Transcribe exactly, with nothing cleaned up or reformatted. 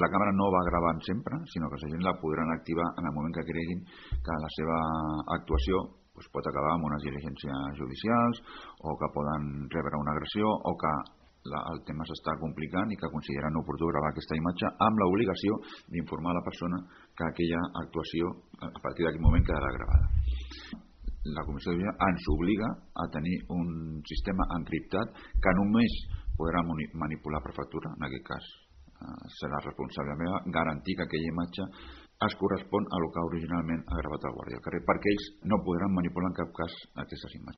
La càmera no va gravant sempre, sinó que els agents la podran activar en el moment que creguin que la seva actuació doncs, pot acabar amb unes diligències judicials o que poden rebre una agressió o que la, el tema s'està complicant i que consideren oportú gravar aquesta imatge amb l'obligació d'informar a la persona que aquella actuació a partir d'aquell moment quedarà gravada. La Comissió de Vigilància ens obliga a tenir un sistema encriptat que només podrà manipular per factura, en aquest cas serà responsable meva garantir que aquella imatge es correspon a el que originalment ha gravat el guàrdia al carrer, perquè ells no podran manipular en cap cas aquestes imatges.